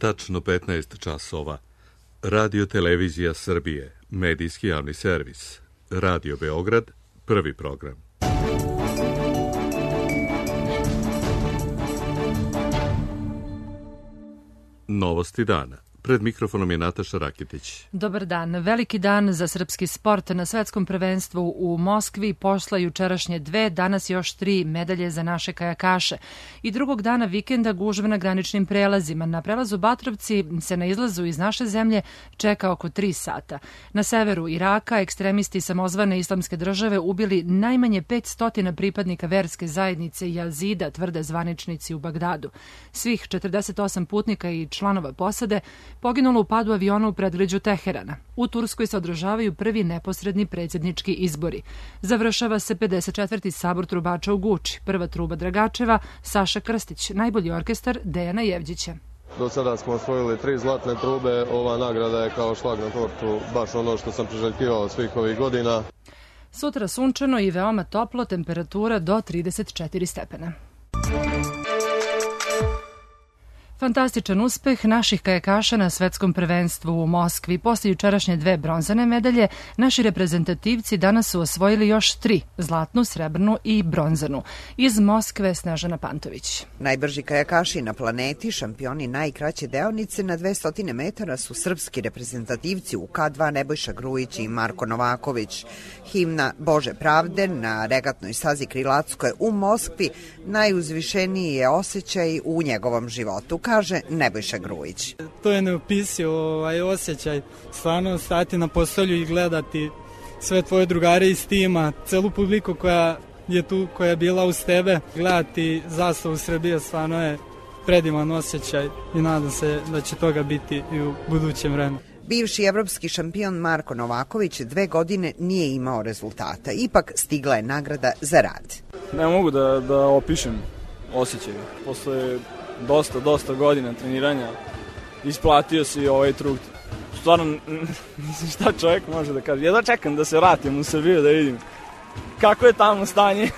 Tačno 15 časova. Radio Televizija Srbije, medijski javni servis. Radio Beograd, prvi program. Novosti dana. Pred mikrofonom je Nataša Rakitić. Dobar dan. Veliki dan za srpski sport. Na svetskom prvenstvu u Moskvi posla jučerašnje 2, danas još 3 medalje za naše kajakaše. I drugog dana vikenda gužva na graničnim prelazima. Na prelazu Batrovci se na izlazu iz naše zemlje čeka oko 3 sata. Na severu Iraka ekstremisti samozvane islamske države ubili najmanje 500 pripadnika verske zajednice Jazida, tvrde zvaničnici u Bagdadu. Svih 48 putnika i članova posade poginulo u padu aviona u predgrađu Teherana. U Turskoj se održavaju prvi neposredni predsjednički izbori. Završava se 54. sabor trubača u Guči. Prva truba Dragačeva, Saša Krstić, najbolji orkestar Dejana Jevđića. Do sada smo osvojili 3 zlatne trube, ova nagrada je kao šlag na tortu, baš ono što sam priželjkivao svih ovih godina. Sutra sunčano i veoma toplo, temperatura do 34 stepena. Fantastičan uspeh naših kajakaša na svetskom prvenstvu u Moskvi. Posle jučerašnje 2 bronzane medalje, naši reprezentativci danas su osvojili još 3, zlatnu, srebrnu i bronzanu. Iz Moskve Snežana Pantović. Najbrži kajakaši na planeti, šampioni najkraće deonice na 200 metara su srpski reprezentativci u K2 Nebojša Grujić i Marko Novaković. Himna Bože pravde na regatnoj stazi Krilatskoj u Moskvi najuzvišeniji je osjećaj u njegovom životu, kaže Nebojša Grujić. To je neopisiv osjećaj, stvarno stati na postolju i gledati sve tvoje drugare iz tima, celu publiku koja je tu, koja je bila uz tebe, gledati zastavu Srbije, stvarno je predivan osjećaj i nadam se da će toga biti i u budućem vremenu. Bivši evropski šampion Marko Novaković 2 godine nije imao rezultata, ipak stigla je nagrada za rad. Ne mogu da opišem osjećaj, posle dosta godina treniranja isplatio se i ovaj trud. Stvarno, šta čovjek može da kaže. Ja čekam da se vratim u Srbiju da vidim kako je tamo stanje.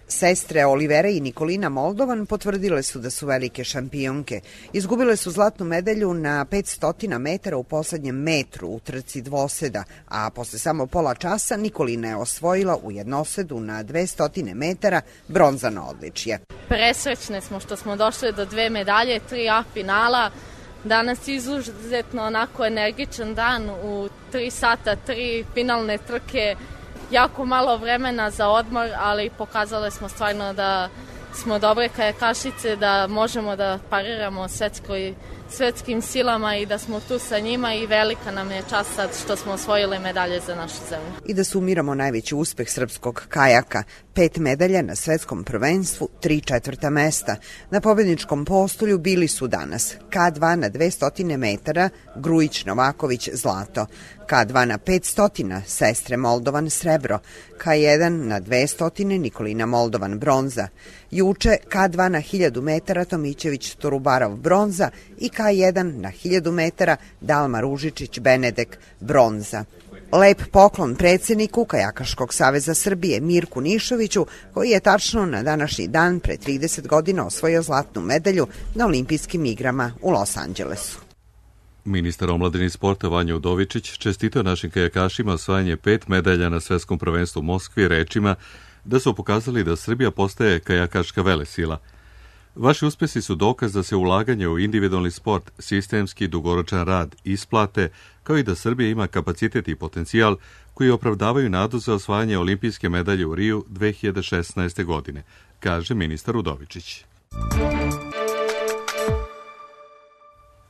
Sestre Olivera i Nikolina Moldovan potvrdile su da su velike šampionke. Izgubile su zlatnu medalju na 500 metara u poslednjem metru u trci dvoseda, a posle samo pola časa Nikolina je osvojila u jednosedu na 200 metara bronzano odličje. Presrećne smo što smo došli do 2 medalje, 3 A finala. Danas je izuzetno onako energičan dan, u 3 sata, 3 finalne trke. Jako malo vremena za odmor, ali pokazali smo stvarno da smo dobre kajakašice, da možemo da pariramo svetskim silama i da smo tu sa njima i velika nam je čast sad što smo osvojili medalje za našu zemlju. I da sumiramo najveći uspeh srpskog kajaka, 5 medalja na svetskom prvenstvu, 3 četvrta mesta. Na pobedničkom postolju bili su danas K2 na 200 metara, Grujić Novaković zlato, K2 na 500, sestre Moldovan srebro, K1 na 200, Nikolina Moldovan bronza. Juče K2 na 1000 metara, Tomićević Torubarov bronza i K1 na 1000 metara, Dalma Ružičić Benedek bronza. Lep poklon predsjedniku Kajakaškog saveza Srbije Mirku Nišoviću, koji je tačno na današnji dan pre 30 godina osvojio zlatnu medalju na olimpijskim igrama u Los Angelesu. Ministar omladine i sporta Vanja Udovičić čestitao našim kajakašima osvajanje 5 medalja na svetskom prvenstvu u Moskvi rečima da su pokazali da Srbija postaje kajakaška velesila. Vaši uspesi su dokaz da se ulaganje u individualni sport, sistemski i dugoročan rad isplate, kao i da Srbija ima kapacitet i potencijal koji opravdavaju nadu za osvajanje olimpijske medalje u Riju 2016. godine, kaže ministar Udovičić.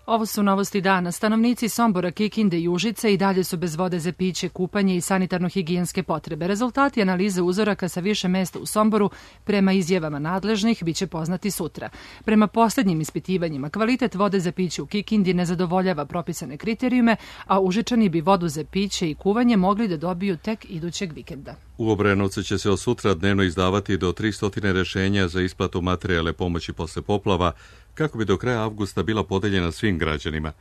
Ovo su novosti dana. Stanovnici Sombora, Kikinde i Užice i dalje su bez vode za piće, kupanje i sanitarno-higijenske potrebe. Rezultati analize uzoraka sa više mesta u Somboru, prema izjavama nadležnih, biće poznati sutra. Prema posljednjim ispitivanjima, kvalitet vode za piće u Kikindi ne zadovoljava propisane kriterijume, a Užičani bi vodu za piće i kuvanje mogli da dobiju tek idućeg vikenda. U Obrenovcu će se od sutra dnevno izdavati do 300 rešenja za isplatu materijalne pomoći posle poplava, kako bi do kraja avgusta bila podeljena svim građanima.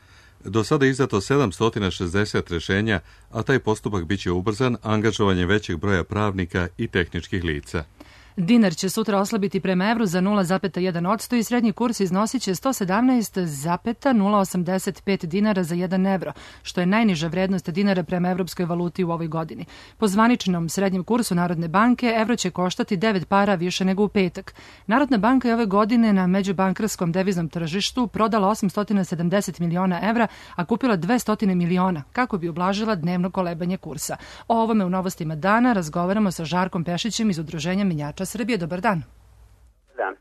Do sada je izdato 760 rešenja, a taj postupak biće ubrzan angažovanjem većeg broja pravnika i tehničkih lica. Dinar će sutra oslabiti prema evru za 0,1% i srednji kurs iznosit će 117,085 dinara za 1 evro, što je najniža vrednost dinara prema evropskoj valuti u ovoj godini. Po zvaničnom srednjem kursu Narodne banke, evro će koštati 9 para više nego u petak. Narodna banka je ove godine na međubankarskom deviznom tržištu prodala 870 miliona evra, a kupila 200 miliona, kako bi ublažila dnevno kolebanje kursa. O ovome u novostima dana razgovaramo sa Žarkom Pešićem iz Udruženja menjača Srbije. Dobar dan. Dan.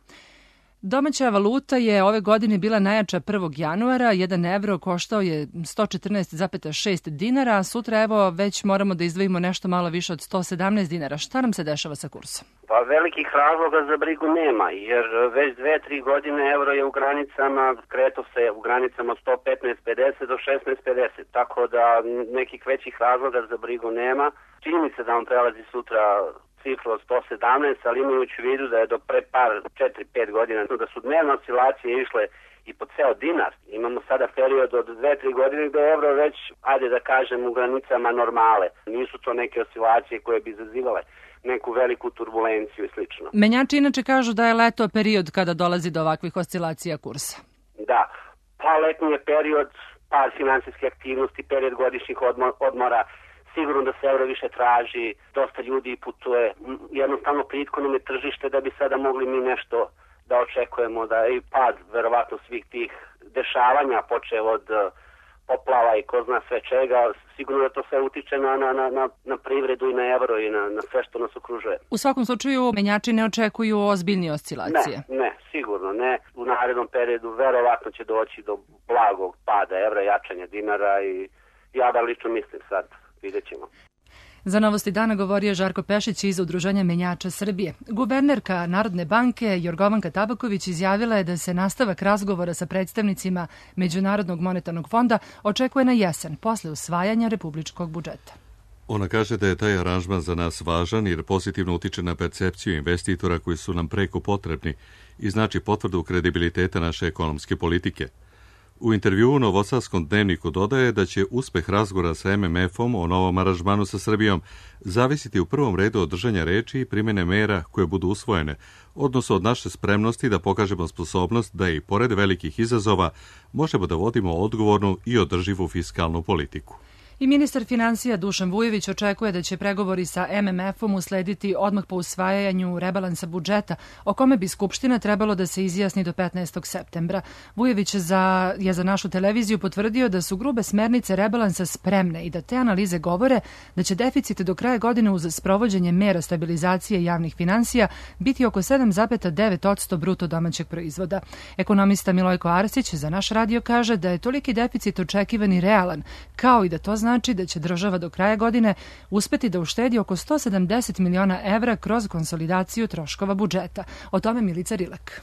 Domaća valuta je ove godine bila najjača 1. januara. 1 evro koštao je 114,6 dinara, a sutra evo već moramo da izdvojimo nešto malo više od 117 dinara. Šta nam se dešava sa kursom? Pa velikih razloga za brigu nema, jer već 2-3 godine euro je u granicama, kreto se u granicama 115,50 do 16,50, tako da nekih većih razloga za brigu nema. Čini mi se da on prelazi sutra cifru od 117, ali imajući u vidu da je do pre 4-5 godina da su dnevne oscilacije išle i po ceo dinar. Imamo sada period od 2-3 godine gde je evro već, ajde da kažem, u granicama normale. Nisu to neke oscilacije koje bi izazivale neku veliku turbulenciju i slično. Menjači inače kažu da je leto period kada dolazi do ovakvih oscilacija kursa. Da, pa letnji je period, pad finansijske aktivnosti, period godišnjih odmora, sigurno da se evro više traži, dosta ljudi putuje, jednostavno plitko nam je tržište da bi sada mogli mi nešto da očekujemo, da je i pad verovatno svih tih dešavanja, počeo od poplava i ko zna sve čega, sigurno da to sve utiče na privredu i na evro i na sve što nas okružuje. U svakom slučaju menjači ne očekuju ozbiljnije oscilacije. Ne, sigurno ne. U narednom periodu verovatno će doći do blagog pada evra, jačanja dinara i ja da lično mislim sad. Vidjet ćemo. Za novosti dana govorio Žarko Pešić iz Udruženja menjača Srbije. Guvernerka Narodne banke Jorgovanka Tabaković izjavila je da se nastavak razgovora sa predstavnicima Međunarodnog monetarnog fonda očekuje na jesen, posle usvajanja republičkog budžeta. Ona kaže da je taj aranžman za nas važan jer pozitivno utiče na percepciju investitora koji su nam preko potrebni i znači potvrdu kredibiliteta naše ekonomske politike. U intervjuu u Novosadskom dnevniku dodaje da će uspeh razgovora sa MMF-om o novom aranžmanu sa Srbijom zavisiti u prvom redu od držanja reči i primjene mera koje budu usvojene, odnosno od naše spremnosti da pokažemo sposobnost da i pored velikih izazova možemo da vodimo odgovornu i održivu fiskalnu politiku. I ministar finansija Dušan Vujović očekuje da će pregovori sa MMF-om uslediti odmah po usvajanju rebalansa budžeta, o kome bi Skupština trebalo da se izjasni do 15. septembra. Vujović je za našu televiziju potvrdio da su grube smernice rebalansa spremne i da te analize govore da će deficit do kraja godine uz sprovođenje mera stabilizacije javnih finansija biti oko 7,9% bruto domaćeg proizvoda. Ekonomista Milojko Arsić za naš radio kaže da je toliki deficit očekivan i realan, kao i da to znači da će država do kraja godine uspeti da uštedi oko 170 miliona evra kroz konsolidaciju troškova budžeta. O tome Milica Rilek.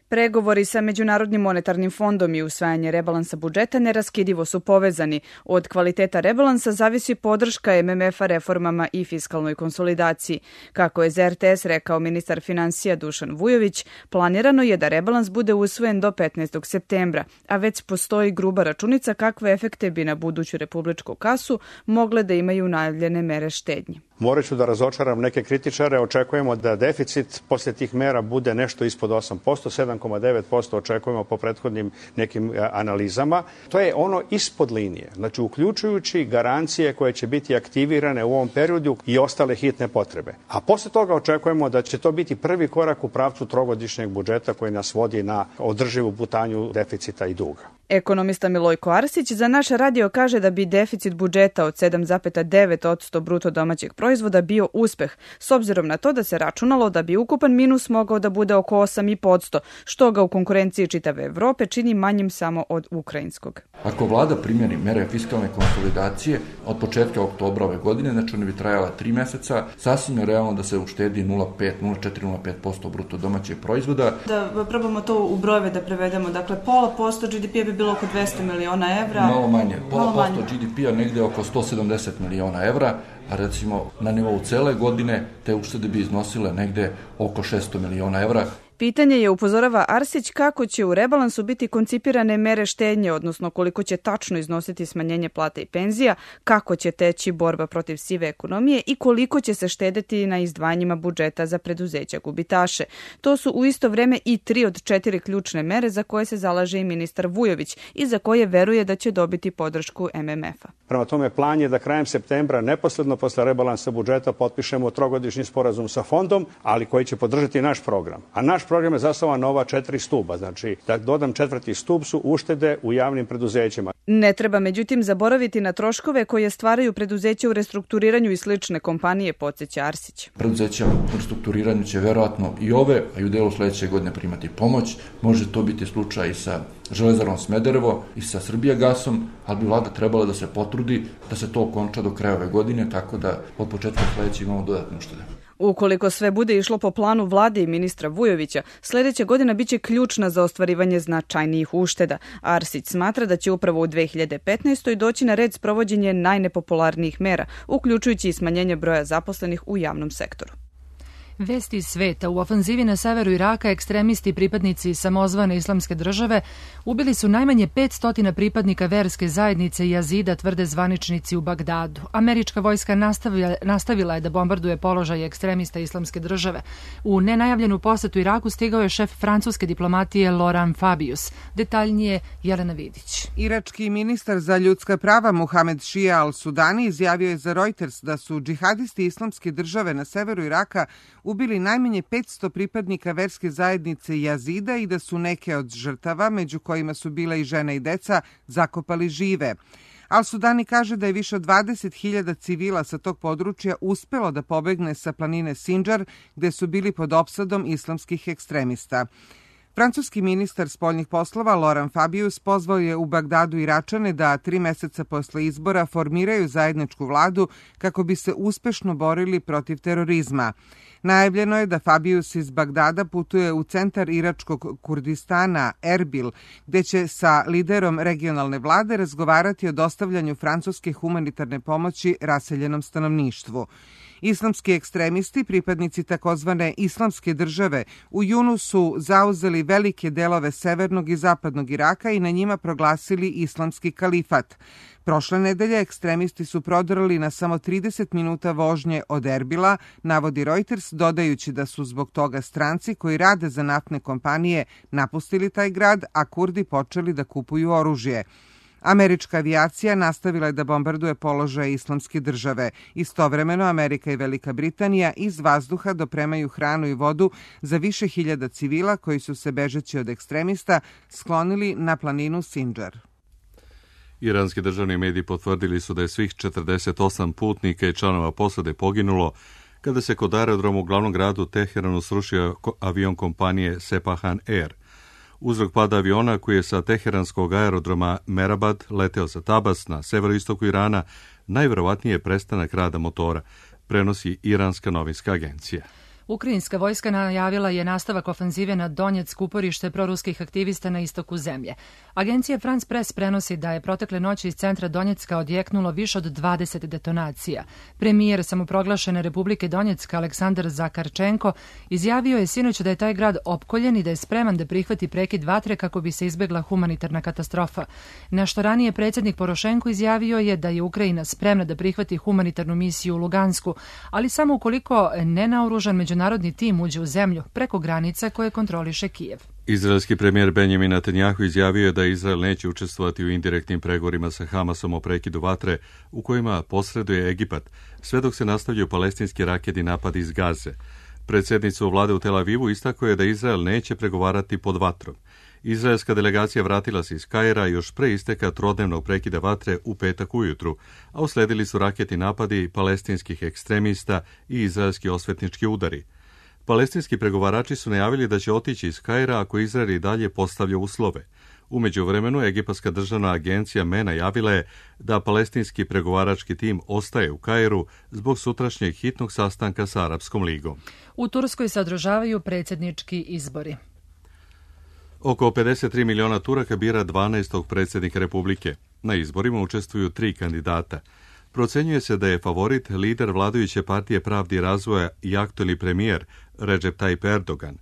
Pregovori sa Međunarodnim monetarnim fondom i usvajanje rebalansa budžeta neraskidivo su povezani. Od kvaliteta rebalansa zavisi podrška MMF-a reformama i fiskalnoj konsolidaciji. Kako je za RTS rekao ministar finansija Dušan Vujović, planirano je da rebalans bude usvojen do 15. septembra, a već postoji gruba računica kakve efekte bi na buduću republičku kasu mogle da imaju najavljene mere štednje. Morat ću da razočaram neke kritičare. Očekujemo da deficit posle tih mera bude nešto ispod 8%, 7,9% očekujemo po prethodnim nekim analizama. To je ono ispod linije, znači uključujući garancije koje će biti aktivirane u ovom periodu i ostale hitne potrebe. A posle toga očekujemo da će to biti prvi korak u pravcu trogodišnjeg budžeta koji nas vodi na održivu putanju deficita i duga. Ekonomista Milojko Arsić za naš radio kaže da bi deficit budžeta od 7,9% bruto domaćeg proizvoda bio uspeh, s obzirom na to da se računalo da bi ukupan minus mogao da bude oko 8,5%, što ga u konkurenciji čitave Evrope čini manjim samo od ukrajinskog. Ako vlada primjeni mere fiskalne konsolidacije od početka oktobra ove godine, znači one bi trajala 3 meseca, sasvim je realno da se uštedi 0,4-0,5% bruto domaćeg proizvoda. Da probamo to u brojeve da prevedemo, dakle pola posto GDP-a bi bilo oko 200 miliona evra. Malo manje, pola posto GDP-a negde oko 170 miliona evra, a recimo na nivou cele godine te uštede bi iznosile negde oko 600 miliona evra. Pitanje je, upozorava Arsić, kako će u rebalansu biti koncipirane mere štednje, odnosno koliko će tačno iznositi smanjenje plata i penzija, kako će teći borba protiv sive ekonomije i koliko će se štedeti na izdvajanjima budžeta za preduzeća gubitaše. To su u isto vreme i 3 od 4 ključne mere za koje se zalaže i ministar Vujović i za koje veruje da će dobiti podršku MMF-a. Prema tome, plan je da krajem septembra, neposredno posle rebalansa budžeta, potpišemo trogodišnji sporazum sa fondom, ali koji će podržati naš program. A naš program je zasnovan na ova 4 stuba. Znači, da dodam 4. stub su uštede u javnim preduzećima. Ne treba, međutim, zaboraviti na troškove koje stvaraju preduzeća u restrukturiranju i slične kompanije, podsjeća Arsić. Preduzeća u restrukturiranju će verovatno i ove, a i u delu sledeće godine primati pomoć. Može to biti slučaj i sa Železarom Smederevo i sa Srbijagasom, ali bi vlada trebala da se potrudi da se to okonča do kraja ove godine, tako da od početka sledeće imamo dodatne uštede. Ukoliko sve bude išlo po planu vlade i ministra Vujovića, sledeća godina biće ključna za ostvarivanje značajnijih ušteda. Arsić smatra da će upravo u 2015. doći na red sprovođenje najnepopularnijih mera, uključujući i smanjenje broja zaposlenih u javnom sektoru. Vesti iz sveta. U ofanzivi na severu Iraka ekstremisti i pripadnici samozvane islamske države ubili su najmanje 500 pripadnika verske zajednice Jazida, tvrde zvaničnici u Bagdadu. Američka vojska nastavila je da bombarduje položaje ekstremista islamske države. U nenajavljenu posetu Iraku stigao je šef francuske diplomatije Laurent Fabius. Detaljnije Jelena Vidić. Irački ministar za ljudska prava Muhamed Šija al-Sudani izjavio je za Reuters da su džihadisti islamske države na severu Iraka ubili najmanje 500 pripadnika verske zajednice Jazida i da su neke od žrtava, među kojima su bile i žene i deca, zakopali žive. Al-Sudani kaže da je više od 20.000 civila sa tog područja uspelo da pobegne sa planine Sinjar, gde su bili pod opsadom islamskih ekstremista. Francuski ministar spoljnih poslova Laurent Fabius pozvao je u Bagdadu Iračane da 3 meseca posle izbora formiraju zajedničku vladu kako bi se uspešno borili protiv terorizma. Najavljeno je da Fabius iz Bagdada putuje u centar iračkog Kurdistana, Erbil, gde će sa liderom regionalne vlade razgovarati o dostavljanju francuske humanitarne pomoći raseljenom stanovništvu. Islamski ekstremisti, pripadnici takozvane islamske države, u junu su zauzeli velike delove severnog i zapadnog Iraka i na njima proglasili islamski kalifat. Prošle nedelje ekstremisti su prodrali na samo 30 minuta vožnje od Erbila, navodi Reuters, dodajući da su zbog toga stranci koji rade za naftne kompanije napustili taj grad, a Kurdi počeli da kupuju oružje. Američka avijacija nastavila je da bombarduje položaje islamske države. Istovremeno Amerika i Velika Britanija iz vazduha dopremaju hranu i vodu za više hiljada civila koji su se bežeći od ekstremista sklonili na planinu Sinjar. Iranski državni mediji potvrdili su da je svih 48 putnika i članova posade poginulo kada se kod aerodroma u glavnom gradu Teheranu srušio avion kompanije Sepahan Air. Uzrok pada aviona koji je sa teheranskog aerodroma Mehrabad leteo za Tabas na severoistoku Irana najverovatnije je prestanak rada motora, prenosi Iranska novinska agencija. Ukrajinska vojska najavila je nastavak ofanzive na Donjeck, uporište proruskih aktivista na istoku zemlje. Agencija France Press prenosi da je protekle noći iz centra Donjecka odjeknulo više od 20 detonacija. Premijer samoproglašene Republike Donjecka Aleksandar Zakarčenko izjavio je sinoć da je taj grad opkoljen i da je spreman da prihvati prekid vatre kako bi se izbegla humanitarna katastrofa. Nešto ranije predsjednik Porošenko izjavio je da je Ukrajina spremna da prihvati humanitarnu misiju u Lugansku, ali samo ukoliko nenaoružan međunarodni tim uđe u zemlju preko granica koje kontroliše Kijev. Izraelski premijer Benjamin Netanjahu izjavio je da Izrael neće učestvovati u indirektnim pregovorima sa Hamasom o prekidu vatre u kojima posreduje Egipat, sve dok se nastavljaju palestinski raketni napadi iz Gaze. Predsjednica vlade u Tel Avivu istakao je da Izrael neće pregovarati pod vatrom. Izraelska delegacija vratila se iz Kaira još pre isteka trodnevnog prekida vatre u petak ujutru, a usledili su raketni napadi palestinskih ekstremista i izraelski osvetnički udari. Palestinski pregovarači su najavili da će otići iz Kaira ako Izrael i dalje postavlja uslove. U međuvremenu, Egipatska državna agencija MENA javila je da palestinski pregovarački tim ostaje u Kairu zbog sutrašnjeg hitnog sastanka sa Arapskom ligom. U Turskoj se održavaju predsjednički izbori. Oko 53 miliona Turaka bira 12. predsjednika Republike. Na izborima učestvuju 3 kandidata. Procenjuje se da je favorit lider vladajuće partije Pravde i razvoja i aktuelni premijer Recep Tayyip Erdogan.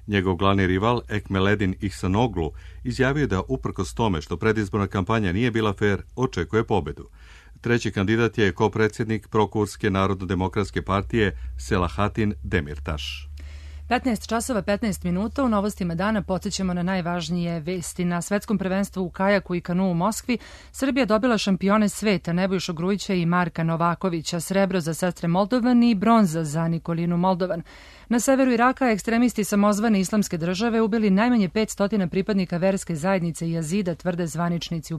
Njegov glavni rival, Ekmeledin Ihsanoglu, izjavio je da uprkos tome što predizborna kampanja nije bila fer, očekuje pobedu. Treći kandidat je kopredsjednik Prokurske narodno-demokratske partije Selahattin Demirtaš. 15 časova 15 minuta u novostima dana podsjećamo na najvažnije vesti. Na svetskom prvenstvu u kajaku i kanu u Moskvi Srbija dobila šampione sveta Nebojšu Grujića i Marka Novakovića, srebro za sestre Moldovan i bronza za Nikolinu Moldovan. Na severu Iraka ekstremisti samozvane islamske države ubili najmanje 500 pripadnika verske zajednice Jazida, tvrde zvaničnici u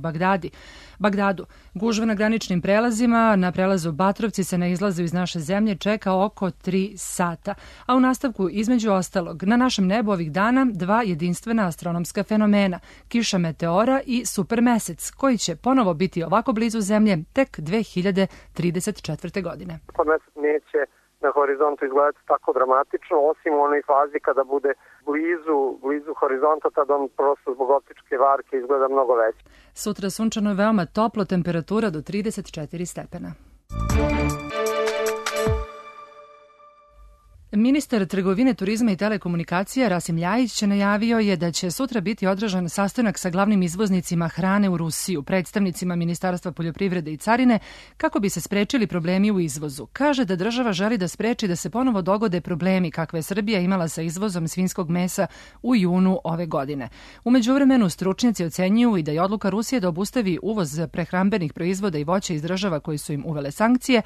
Bagdadu. Gužva na graničnim prelazima, na prelazu Batrovci se na izlazu iz naše zemlje čeka oko 3 sata. A u nastavku, između ostalog, na našem nebu ovih dana 2 jedinstvena astronomska fenomena, kiša meteora i supermesec, koji će ponovo biti ovako blizu zemlje tek 2034. godine. Supermesec neće na horizontu izgledati tako dramatično, osim u onoj fazi kada bude blizu horizonta, tada on prosto zbog optičke varke izgleda mnogo veći. Sutra sunčano je veoma toplo, temperatura do 34 stepena. Ministar trgovine, turizma i telekomunikacija Rasim Ljajić najavio je da će sutra biti održan sastanak sa glavnim izvoznicima hrane u Rusiju, predstavnicima Ministarstva poljoprivrede i carine, kako bi se sprečili problemi u izvozu. Kaže da država želi da spreči da se ponovo dogode problemi kakve je Srbija imala sa izvozom svinjskog mesa u junu ove godine. U međuvremenu stručnjaci ocenjuju i da je odluka Rusije da obustavi uvoz prehrambenih proizvoda i voća iz država koji su im uvele sankcije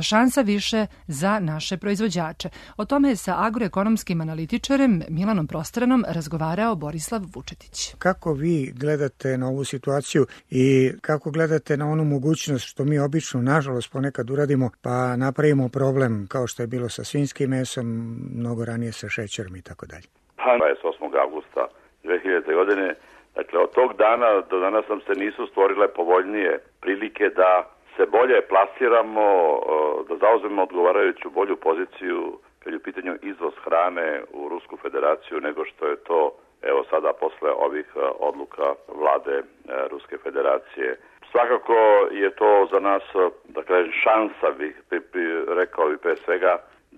šansa više za naše proizvođače. O tome je sa agroekonomskim analitičarem Milanom Prostranom razgovarao Borislav Vučetić. Kako vi gledate na ovu situaciju i kako gledate na onu mogućnost što mi obično, nažalost, ponekad uradimo pa napravimo problem kao što je bilo sa svinjskim mesom, mnogo ranije sa šećerom i tako dalje? 28. avgusta 2000. godine, dakle od tog dana do danas nam se nisu stvorile povoljnije prilike da se bolje plasiramo, da zauzmemo odgovarajuću bolju poziciju kad je u pitanju izvoz hrane u Rusku federaciju nego što je to evo sada posle ovih odluka vlade Ruske federacije. Svakako je to za nas, dakle, šansa, rekao bih pre svega,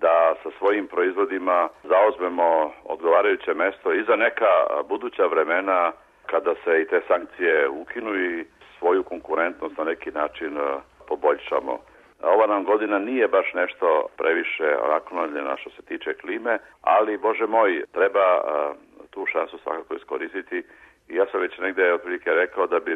da sa svojim proizvodima zauzmemo odgovarajuće mesto i za neka buduća vremena kada se i te sankcije ukinu i svoju konkurentnost na neki način poboljšamo. Ova nam godina nije baš nešto previše naklonjena što se tiče klime, ali, Bože moj, treba tu šansu svakako iskoristiti. I ja sam već negde otprilike rekao da bi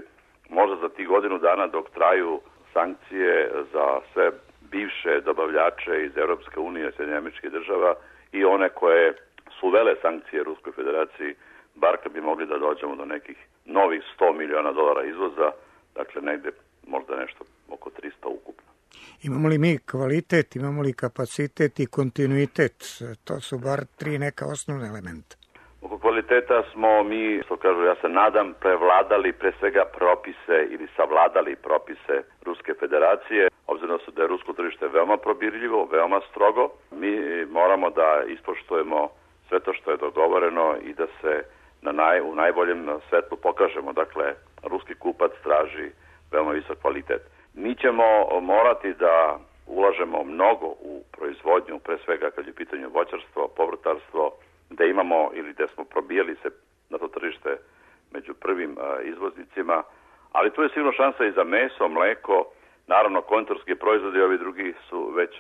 možda za tih godinu dana dok traju sankcije za sve bivše dobavljače iz Europske unije, Sjedinjenih Američkih Država i one koje su uvele sankcije Ruskoj federaciji, bar kad bi mogli da dođemo do nekih novih $100 miliona izvoza, dakle negde možda nešto oko 300 ukupno. Imamo li mi kvalitet, imamo li kapacitet i kontinuitet? To su bar 3 neka osnovne elementa. Oko kvaliteta smo mi, što kažu, ja se nadam, prevladali pre svega propise ili savladali propise Ruske federacije. Obzirom da je rusko tržište veoma probirljivo, veoma strogo, mi moramo da ispoštujemo sve to što je dogovoreno i da se u najboljem svetlu pokažemo. Dakle, ruski kupac traži veoma visok kvalitet. Mi ćemo morati da ulažemo mnogo u proizvodnju, pre svega kad je u pitanju voćarstvo, povrtarstvo, da imamo ili da smo probijali se na to tržište među prvim izvoznicima, ali tu je sigurno šansa i za meso, mleko, naravno konditorski proizvodi i ovi drugi su već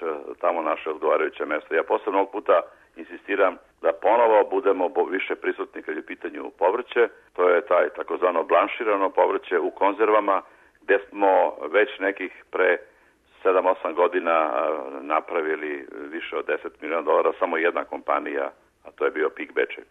tamo naše odgovarajuće mesto. Ja posebno ovog puta insistiram da ponovo budemo više prisutni kad je u pitanju povrće, to je taj takozvano blanširano povrće u konzervama, gde smo već nekih pre 7-8 godina napravili više od $10 miliona, samo jedna kompanija, a to je bio PIK Bečej.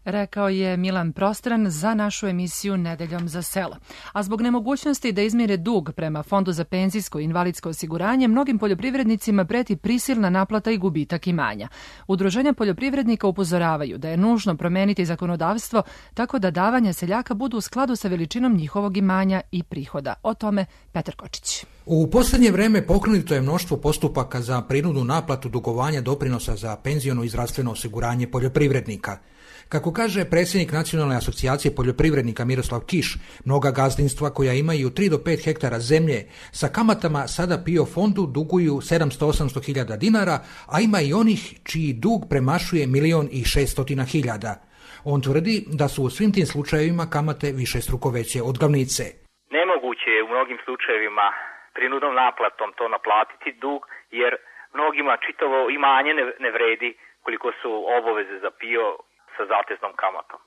Rekao je Milan Prostran za našu emisiju Nedeljom za selo. A zbog nemogućnosti da izmire dug prema Fondu za penzijsko i invalidsko osiguranje, mnogim poljoprivrednicima preti prisilna naplata i gubitak imanja. Udruženja poljoprivrednika upozoravaju da je nužno promeniti zakonodavstvo tako da davanja seljaka budu u skladu sa veličinom njihovog imanja i prihoda. O tome Petar Kočić. U posljednje vreme pokrenuto je mnoštvo postupaka za prinudnu naplatu dugovanja doprinosa za penziono i zdravstveno osiguranje poljoprivrednika. Kako kaže predsjednik Nacionalne asocijacije poljoprivrednika Miroslav Kiš, mnoga gazdinstva koja imaju 3 do 5 hektara zemlje sa kamatama sada PIO fondu duguju 700-800 hiljada dinara, a ima i onih čiji dug premašuje 1.600.000. On tvrdi da su u svim tim slučajevima kamate višestruko veće od glavnice. Nemoguće je u mnogim slučajevima prinudnom naplatom to naplatiti dug, jer mnogima čitavo imanje ne vredi koliko su obaveze za PIO sa zateznom kamatom.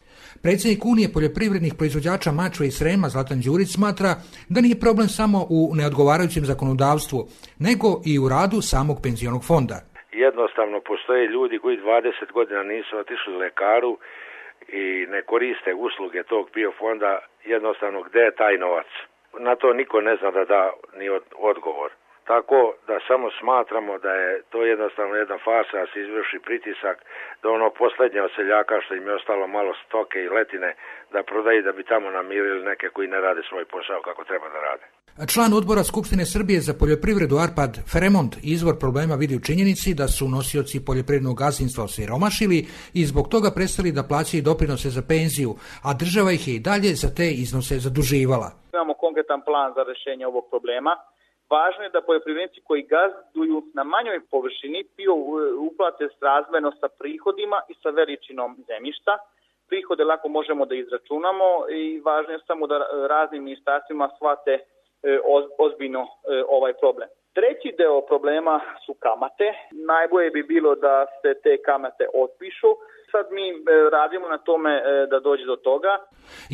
Predsjednik Unije poljoprivrednih proizvođača Mačve i Srema Zlatan Đurić smatra da nije problem samo u neodgovarajućem zakonodavstvu, nego i u radu samog penzionog fonda. Jednostavno postoje ljudi koji 20 godina nisu otišli lekaru i ne koriste usluge tog PIO fonda, jednostavno gde je taj novac? Na to niko ne zna da da ni odgovor. Tako da samo smatramo da je to jednostavno jedna farsa, da se izvrši pritisak, da ono posljednje od seljaka što im je ostalo malo stoke i letine, da prodaju da bi tamo namirili neke koji ne rade svoj posao kako treba da rade. Član odbora Skupštine Srbije za poljoprivredu Arpad Feremont izvor problema vidi u činjenici da su nosioci poljoprivrednog gazdinstva osiromašili i zbog toga prestali da plaćaju doprinose za penziju, a država ih je i dalje za te iznose zaduživala. Imamo konkretan plan za rešenje ovog problema. Važno je da poljoprivrednici koji gazduju na manjoj površini PIO uplate srazmerno sa prihodima i sa veličinom zemljišta. Prihode lako možemo da izračunamo i važno je samo da raznim ministarstvima shvate ozbiljno ovaj problem. Treći deo problema su kamate. Najbolje bi bilo da se te kamate otpišu. Sad mi radimo na tome da dođe do toga.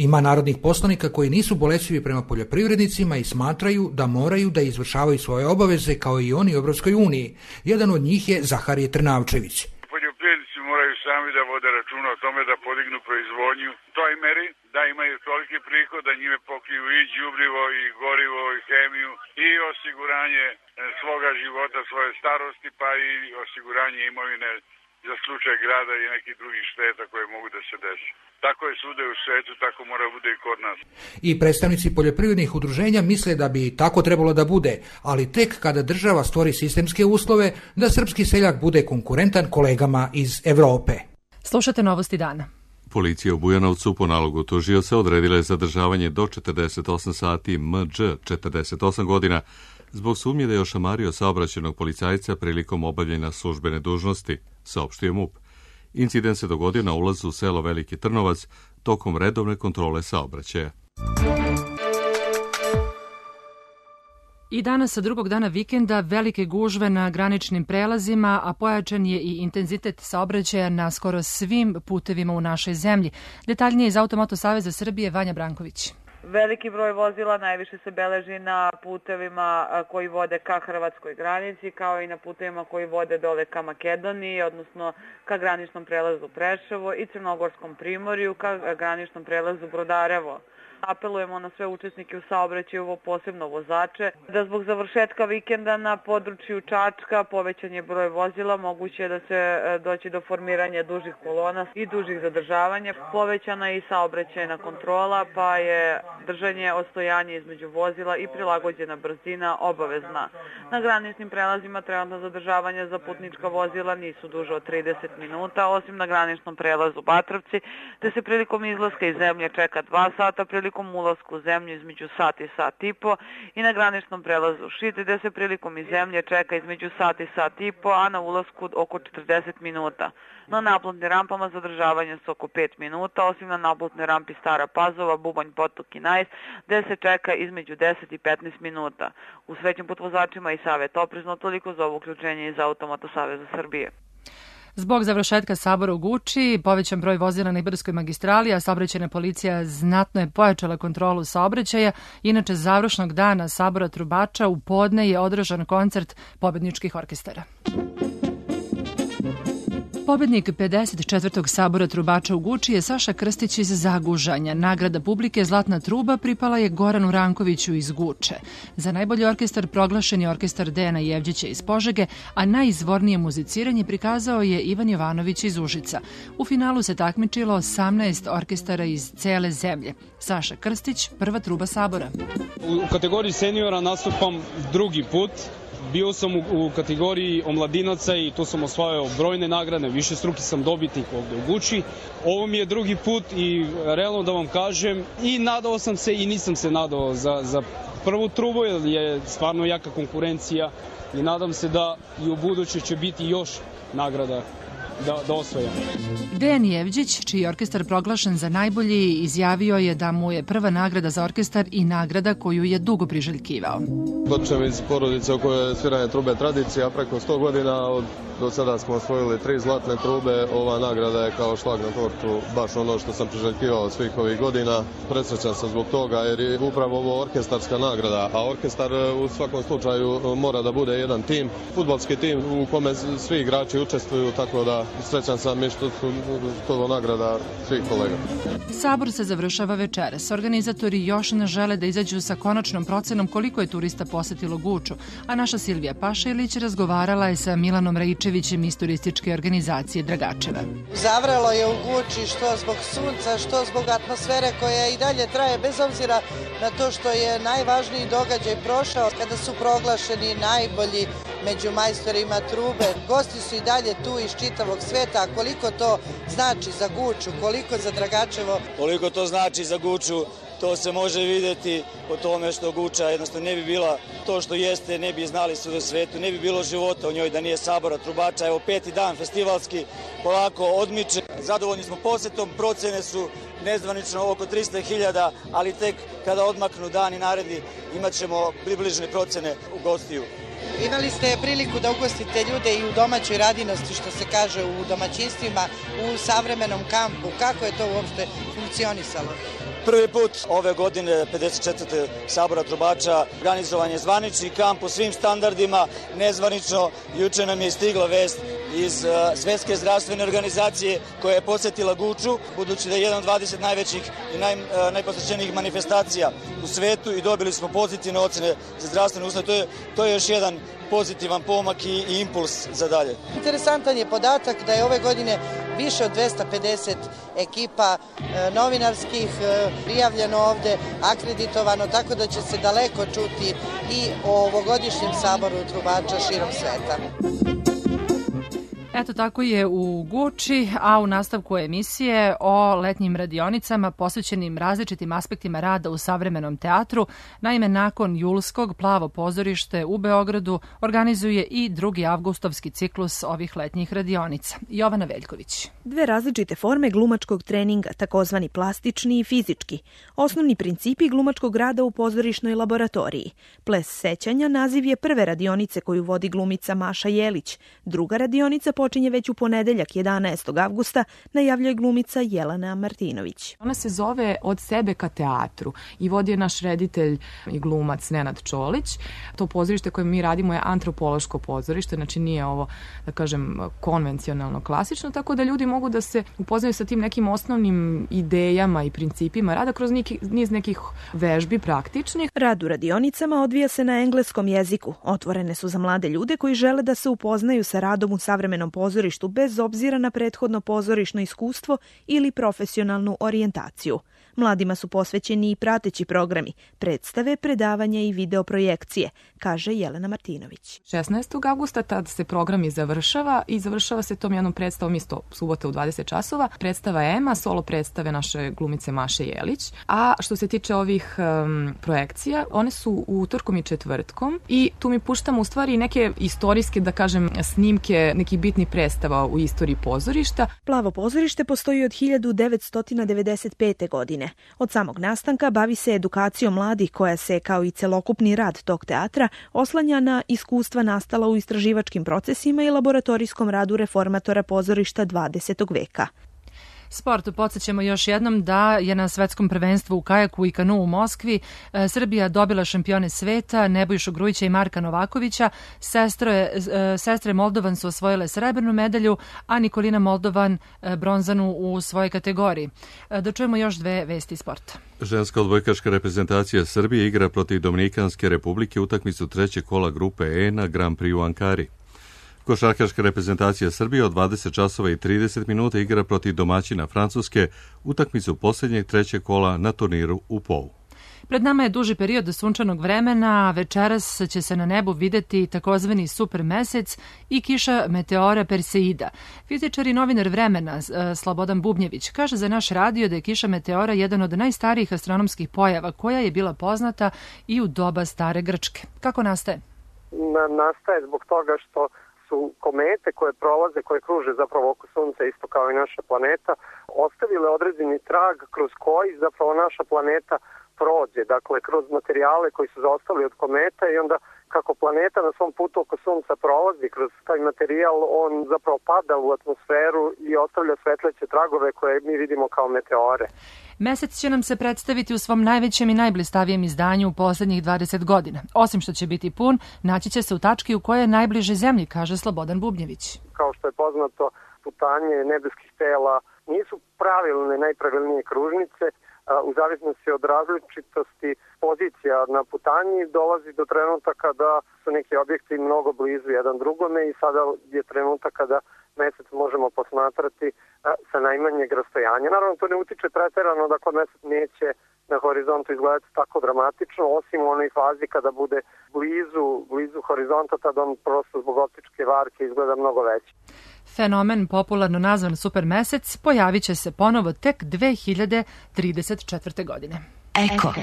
Ima narodnih poslanika koji nisu bolećivi prema poljoprivrednicima i smatraju da moraju da izvršavaju svoje obaveze kao i oni u Evropskoj uniji. Jedan od njih je Zaharije Trnavčević. Poljoprivrednici moraju sami da vode računa o tome da podignu proizvodnju toj meri, da imaju toliki prihod da njime pokriju i đubrivo i gorivo i hemiju i osiguranje svoga života, svoje starosti, pa i osiguranje imovine za slučaj grada i nekih drugih šteta koje mogu da se desi. Tako je svuda u svetu, tako mora bude i kod nas. I predstavnici poljoprivrednih udruženja misle da bi tako trebalo da bude, ali tek kada država stvori sistemske uslove da srpski seljak bude konkurentan kolegama iz Evrope. Slušate Novosti dana. Policija u Bujanovcu po nalogu tužioca odredila je zadržavanje do 48 sati Mđ 48 godina zbog sumnje da je ošamario saobraćajnog policajca prilikom obavljanja službene dužnosti, saopštio MUP. Incident se dogodio na ulazu u selo Veliki Trnovac tokom redovne kontrole saobraćaja. I danas sa drugog dana vikenda velike gužve na graničnim prelazima, a pojačan je i intenzitet saobraćaja na skoro svim putevima u našoj zemlji. Detaljnije iz Automoto Saveza Srbije Vanja Branković. Veliki broj vozila najviše se beleži na putevima koji vode ka hrvatskoj granici, kao i na putevima koji vode dole ka Makedoniji, odnosno ka graničnom prelazu Preševo i Crnogorskom primorju, ka graničnom prelazu Brodarevo. Apelujemo na sve učesnike u saobraćaju, posebno vozače, da zbog završetka vikenda na području Čačka povećan je broj vozila, moguće je da se doći do formiranja dužih kolona i dužih zadržavanja. Povećana je i saobraćajna kontrola, pa je držanje odstojanja između vozila i prilagođena brzina obavezna. Na graničnim prelazima trenutno zadržavanja za putnička vozila nisu duže od 30 minuta, osim na graničnom prelazu Batrovci, gde se prilikom izlaska iz zemlje čeka 2 sata, prilikom ulasku u zemlju između sat i sat i po, i na graničnom prelazu Šid, gde se prilikom iz zemlje čeka između sat i sat i po, a na ulasku oko 40 minuta. Na naplatnim rampama zadržavanje su oko 5 minuta, osim na naplatnoj rampi Stara Pazova, Bubanj, Potok i Najs, gde se čeka između 10 i 15 minuta. U svećim putvozačima i savjet oprezno, toliko za ovo uključenje iz Automoto Saveza Srbije. Zbog završetka sabora u Guči, povećan broj vozila na Ibarskoj magistrali, a saobraćajna policija znatno je pojačala kontrolu saobraćaja. Inače, završnog dana sabora trubača u podne je održan koncert pobedničkih orkestara. Pobednik 54. sabora trubača u Guči je Saša Krstić iz Zagužanja. Nagrada publike Zlatna truba pripala je Goranu Rankoviću iz Guče. Za najbolji orkestar proglašen je orkestar Dejana Jevđića iz Požege, a najizvornije muziciranje prikazao je Ivan Jovanović iz Užica. U finalu se takmičilo 18 orkestara iz cele zemlje. Saša Krstić, prva truba sabora. U kategoriji seniora nastupam drugi put. Bio sam u kategoriji omladinaca i tu sam osvajao brojne nagrade, višestruki sam dobitnik ovde u Guči. Ovo mi je drugi put i realno da vam kažem, i nadao sam se i nisam se nadao za prvu trubu, jer je stvarno jaka konkurencija i nadam se da i u buduće će biti još nagrada da osvojam. Dejan Jevđić, čiji je orkestar proglašen za najbolji, izjavio je da mu je prva nagrada za orkestar i nagrada koju je dugo priželjkivao. Dočem iz porodice u kojoj je sviranje trube tradicija, preko 100 godina, do sada smo osvojili 3 zlatne trube, ova nagrada je kao šlag na tortu, baš ono što sam priželjkivao svih ovih godina. Presrećan sam zbog toga jer je upravo ovo orkestarska nagrada, a orkestar u svakom slučaju mora da bude jedan tim, fudbalski tim u kome svi igrači učestvuju, tako da srećan sam i što su to nagrada svih kolega. Sabor se završava večeras. Organizatori još ne žele da izađu sa konačnom procenom koliko je turista posetilo Guču, a naša Silvija Pašelić razgovarala je sa Milanom Raičevićem iz turističke organizacije Dragačeva. Zavrelo je u Guči što zbog sunca, što zbog atmosfere koja i dalje traje, bez obzira na to što je najvažniji događaj prošao kada su proglašeni najbolji među majstorima trube. Gosti su i dalje tu iz čitavog sveta, a koliko to znači za Guču, koliko za Dragačevo. Koliko to znači za Guču, to se može videti po tome što Guča jednostavno ne bi bila to što jeste, ne bi znali svuda u svetu, ne bi bilo života u njoj da nije sabora trubača. Evo 5. dan festivalski polako odmiče. Zadovoljni smo posetom, procene su nezvanično oko 300.000, ali tek kada odmaknu dani naredni imat ćemo približne procene u gostiju. Imali ste priliku da ugostite ljude i u domaćoj radinosti, što se kaže, u domaćinstvima, u savremenom kampu. Kako je to uopšte funkcionisalo? Prvi put ove godine, 54. sabora trubača, organizovan je zvanični kamp u svim standardima, nezvanično. Juče nam je stigla vest iz Svetske zdravstvene organizacije koja je posetila Guču, budući da je jedan od 20 najvećih i najposećenijih manifestacija u svetu i dobili smo pozitivne ocene za zdravstvene uslove. To je još jedan pozitivan pomak i impuls za dalje. Interesantan je podatak da je ove godine više od 250 ekipa novinarskih prijavljeno ovde, akreditovano, tako da će se daleko čuti i o ovogodišnjem saboru trubača širom sveta. Eto tako je u Guči, a u nastavku emisije o letnjim radionicama posvećenim različitim aspektima rada u savremenom teatru. Naime, nakon julskog Plavo pozorište u Beogradu organizuje i 2. avgustovski ciklus ovih letnjih radionica. Jovana Veljković. Dve različite forme glumačkog treninga, takozvani plastični i fizički. Osnovni principi glumačkog rada u pozorišnoj laboratoriji. Ples sećanja naziv je prve radionice koju vodi glumica Maša Jelić. Druga radionica počinje već u ponedeljak 11. avgusta, najavljuje glumica Jelena Martinović. Ona se zove Od sebe ka teatru i vodi je naš reditelj i glumac Nenad Čolić. To pozorište koje mi radimo je antropološko pozorište, znači nije ovo, da kažem, konvencionalno klasično, tako da ljudi mogu da se upoznaju sa tim nekim osnovnim idejama i principima rada kroz niz nekih vežbi praktičnih. Rad u radionicama odvija se na engleskom jeziku. Otvorene su za mlade ljude koji žele da se upoznaju sa radom u savremenom pozorištu bez obzira na prethodno pozorišno iskustvo ili profesionalnu orijentaciju. Mladima su posvećeni i prateći programi, predstave, predavanja i videoprojekcije, kaže Jelena Martinović. 16. avgusta tad se program i završava se tom jednom predstavom isto subota u 20 časova. Predstava Ema, solo predstave naše glumice Maše Jelić. A što se tiče ovih projekcija, one su utorkom i četvrtkom i tu mi puštamo u stvari neke istorijske, da kažem, snimke nekih bitnih predstava u istoriji pozorišta. Plavo pozorište postoji od 1995. godine. Od samog nastanka bavi se edukacijom mladih koja se, kao i celokupni rad tog teatra, oslanja na iskustva nastala u istraživačkim procesima i laboratorijskom radu reformatora pozorišta 20. veka. Sport, podsjećamo još jednom da je na svetskom prvenstvu u kajaku i kanu u Moskvi Srbija dobila šampione sveta Nebojšu Grujića i Marka Novakovića. Sestre Moldovan su osvojile srebrnu medalju, a Nikolina Moldovan bronzanu u svojoj kategoriji. Da čujemo još dve vesti sporta. Ženska odbojkaška reprezentacija Srbije igra protiv Dominikanske republike utakmicu trećeg kola grupe E na Grand Prix u Ankari. Košarkaška reprezentacija Srbije od 20 časova i 30 minuta igra protiv domaćina Francuske utakmicu posljednjeg trećeg kola na turniru u Pou. Pred nama je duži period sunčanog vremena, večeras će se na nebu videti takozvani super mesec i kiša meteora Perseida. Fizičar i novinar Vremena Slobodan Bubnjević kaže za naš radio da je kiša meteora jedan od najstarijih astronomskih pojava koja je bila poznata i u doba stare Grčke. Kako nastaje? Nastaje zbog toga što su komete koje prolaze, koje kruže zapravo oko Sunca, isto kao i naša planeta, ostavile određeni trag kroz koji zapravo naša planeta prođe, dakle kroz materijale koji su zaostali od kometa i onda kako planeta na svom putu oko Sunca prolazi kroz taj materijal, on zapravo pada u atmosferu i ostavlja svetleće tragove koje mi vidimo kao meteore. Mesec će nam se predstaviti u svom najvećem i najblistavijem izdanju u poslednjih 20 godina. Osim što će biti pun, naći će se u tački u kojoj je najbliže Zemlji, kaže Slobodan Bubnjević. Kao što je poznato, putanje nebeskih tela nisu pravilne, najpravilnije kružnice. U zavisnosti od različitosti pozicija na putanji dolazi do trenutaka da su neki objekti mnogo blizu jedan drugome i sada je trenutak kada mesec možemo posmatrati sa najmanjeg rastojanja. Naravno, to ne utiče preterano da kod mesec neće na horizontu izgledati tako dramatično, osim u onoj fazi kada bude blizu horizonta, tada on prosto zbog optičke varke izgleda mnogo veći. Fenomen, popularno nazvan supermesec, pojavit će se ponovo tek 2034. godine. Eko.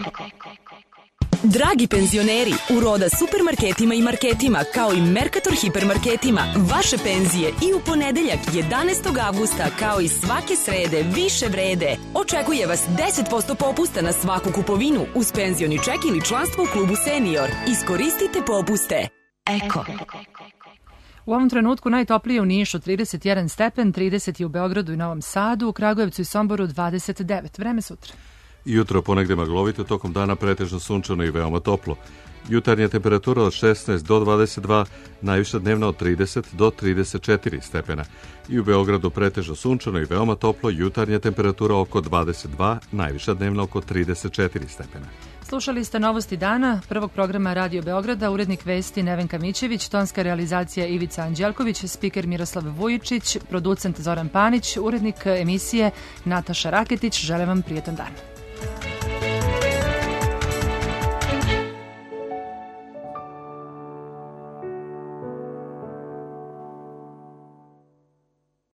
Dragi penzioneri, u Roda supermarketima i marketima, kao i Mercator hipermarketima, vaše penzije i u ponedeljak 11. avgusta, kao i svake srede, više vrede. Očekuje vas 10% popusta na svaku kupovinu uz penzioni ček ili članstvo u klubu Senior. Iskoristite popuste. Eko. U ovom trenutku najtoplije u Nišu 31 stepen, 30 je u Beogradu i Novom Sadu, u Kragujevcu i Somboru 29. Vreme sutra. Jutro ponegde maglovito, tokom dana pretežno sunčano i veoma toplo. Jutarnja temperatura od 16 do 22, najviša dnevna od 30 do 34 stepena. I u Beogradu pretežno sunčano i veoma toplo, jutarnja temperatura oko 22, najviša dnevna oko 34 stepena. Slušali ste novosti dana, prvog programa Radio Beograda, urednik vesti Nevenka Mićević, tonska realizacija Ivica Anđelković, spiker Miroslav Vujičić, producent Zoran Panić, urednik emisije Nataša Raketić. Želim vam prijetan dan.